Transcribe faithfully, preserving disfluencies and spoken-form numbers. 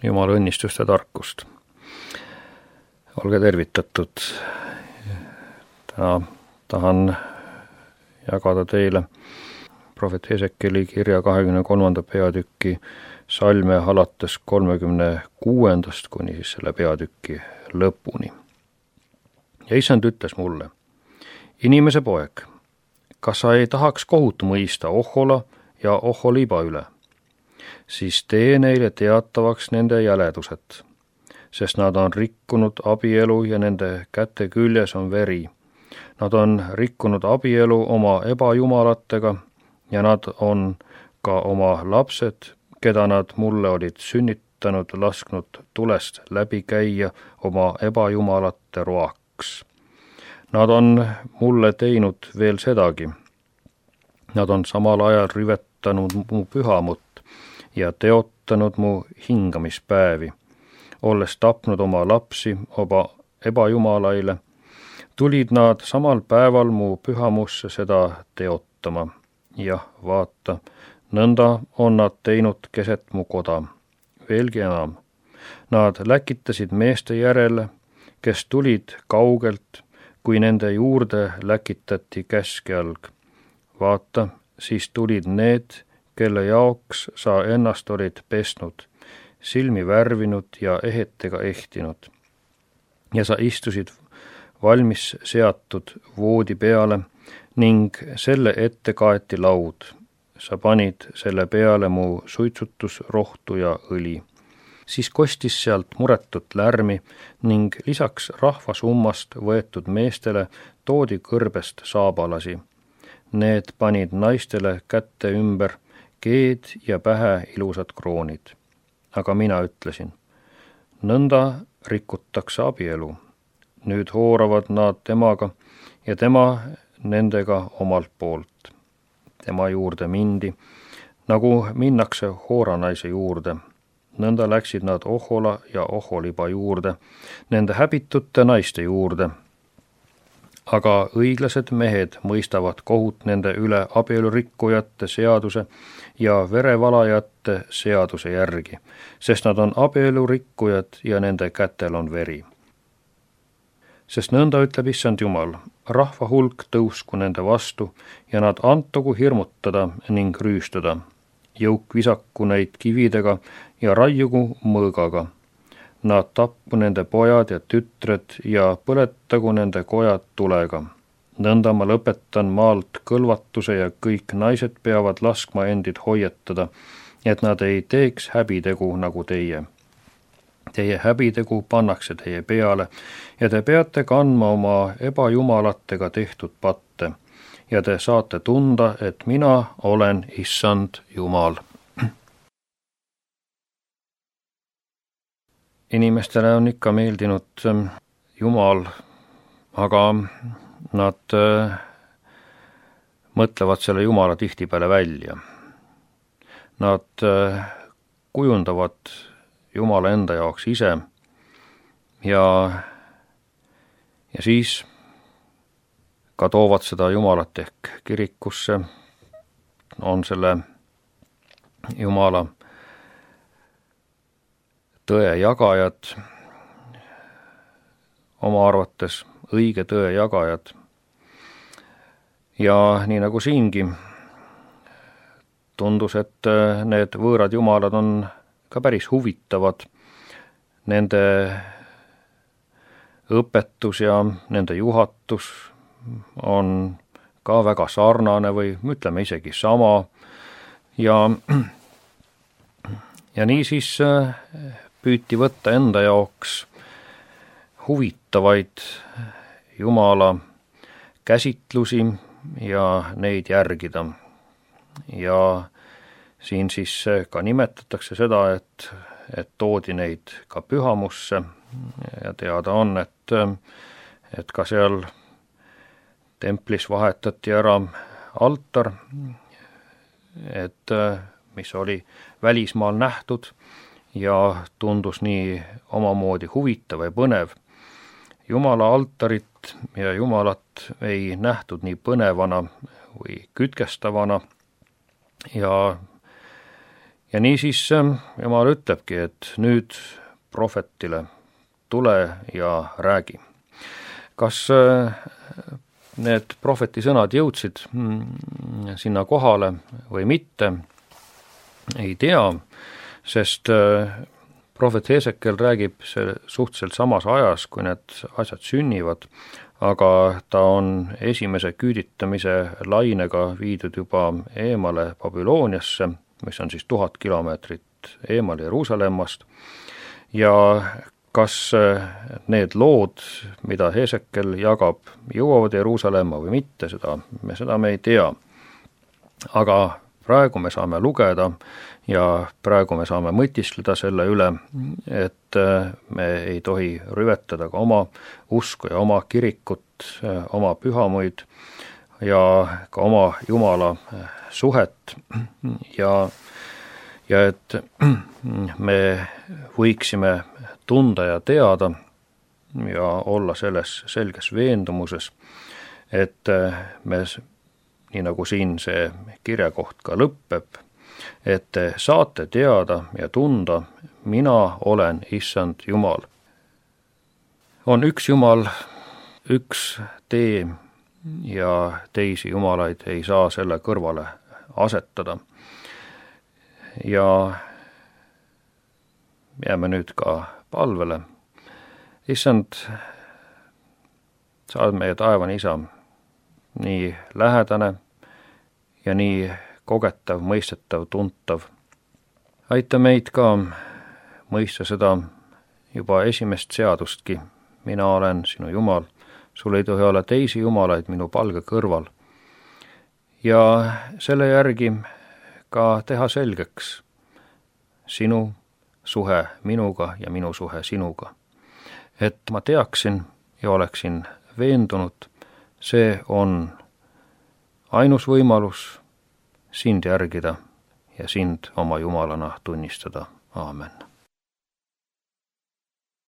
Jumala õnnistust ja tarkust. Olge tervitatud. Täna tahan jagada teile prohvet Hesekeli kirja kahekümne kolmanda peatüki salme alates kolmekümne kuuendast kuni siis selle peatüki lõpuni. Ja Issand ütles mulle, inimese poeg, kas sa ei tahaks kohut mõista Ohola ja Oholiba üle? Siis tee neile teatavaks nende jäledused, sest nad on rikkunud abielu ja nende käte küljes on veri. Nad on rikkunud abielu oma ebajumalatega ja nad on ka oma lapsed, keda nad mulle olid sünnitanud, lasknud tulest läbi käia oma ebajumalate roaks. Nad on mulle teinud veel sedagi. Nad on samal ajal rivetanud mu pühamut ja teotanud mu hingamispäevi, olles tapnud oma lapsi oma ebajumalaile, tulid nad samal päeval mu pühamusse seda teotama. Jah, vaata, nõnda on nad teinud keset mu koda. Veelgi enam, nad läkitasid meeste järele, kes tulid kaugelt, kui nende juurde läkitati käskjalg. Vaata, siis tulid need, kelle jaoks sa ennast olid pesnud, silmi värvinud ja ehetega ehtinud. Ja sa istusid valmis seatud voodi peale ning selle ette kaeti laud. Sa panid selle peale mu suitsutusrohtu ja õli. Siis kostis sealt muretut lärmi ning lisaks rahvasummast võetud meestele toodi kõrbest saabalasi. Need panid naistele kätte ümber keed ja pähe ilusad kroonid. Aga mina ütlesin, nõnda rikutakse abielu. Nüüd hooravad nad temaga ja tema nendega omalt poolt. Tema juurde mindi, nagu minnakse hooranaise juurde. Nõnda läksid nad Ohola ja Oholiba juurde, nende häbitute naiste juurde. Aga õiglased mehed mõistavad kohut nende üle abielurikkujate seaduse ja verevalajate seaduse järgi, sest nad on abielurikkujad ja nende kätel on veri. Sest nõnda ütleb Issand Jumal, rahva hulk tõusku nende vastu ja nad antogu hirmutada ning rüüstada. Jõuk visaku neid kividega ja raiugu mõõgaga. Nad tappu nende pojad ja tütred ja põletagu nende kojad tulega. Nõnda ma lõpetan maalt kõlvatuse ja kõik naised peavad laskma endid hoiatada, et nad ei teeks häbitegu nagu teie. Teie häbitegu pannakse teie peale ja te peate kandma oma ebajumalatega tehtud patte ja te saate tunda, et mina olen Issand Jumal. Inimestele on ikka meeldinud Jumal, aga nad mõtlevad selle Jumala tihtipeale välja. Nad kujundavad Jumala enda jaoks ise ja, ja siis ka toovad seda Jumalat ehk kirikusse, on selle Jumala tõe jagajad, oma arvates õige tõe jagajad. Ja nii nagu siingi tundus, et need võõrad jumalad on ka päris huvitavad. Nende õpetus ja nende juhatus on ka väga sarnane või ütleme isegi sama. Ja, ja nii siis püüti võtta enda jaoks huvitavaid Jumala käsitlusi ja neid järgida. Ja siin siis ka nimetatakse seda, et, et toodi neid ka pühamusse ja teada on, et, et ka seal templis vahetati ära altar, et mis oli välismaal nähtud ja tundus nii omamoodi huvitav ja põnev. Jumala altarit ja Jumalat ei nähtud nii põnevana või kütkestavana ja, ja niisiis Jumal ütlebki, et nüüd prohvetile tule ja räägi. Kas need prohveti sõnad jõudsid sinna kohale või mitte, ei tea, sest prohvet Hesekiel räägib see suhteliselt samas ajas, kui need asjad sünnivad, aga ta on esimese küüditamise lainega viidud juba eemale Babyloniasse, mis on siis tuhat kilomeetrit eemal Jeruusalemmast, ja kas need lood, mida Hesekiel jagab, jõuavad Jeruusalemma või mitte, seda me, seda me ei tea. Aga praegu me saame lugeda ja praegu me saame mõtiskleda selle üle, et me ei tohi rüvetada ka oma usku ja oma kirikut, oma pühamuid ja ka oma Jumala suhet ja, ja et me võiksime tunda ja teada ja olla selles selges veendumuses, et me, nii nagu siin see kirjakoht ka lõppeb, et te saate teada ja tunda, mina olen Issand Jumal. On üks Jumal, üks tee ja teisi jumalaid ei saa selle kõrvale asetada. Ja jääme nüüd ka palvele. Issand, sa oled meie taevane Isa, nii lähedane ja nii kogetav, mõistetav, tuntav. Aita meid ka mõista seda juba esimest seadustki. Mina olen sinu Jumal, sul ei tohi olla teisi jumalaid minu palge kõrval. Ja selle järgi ka teha selgeks sinu suhe minuga ja minu suhe sinuga. Et ma teaksin ja oleksin veendunud, see on ainus võimalus sind järgida ja sind oma Jumalana tunnistada. Aamen.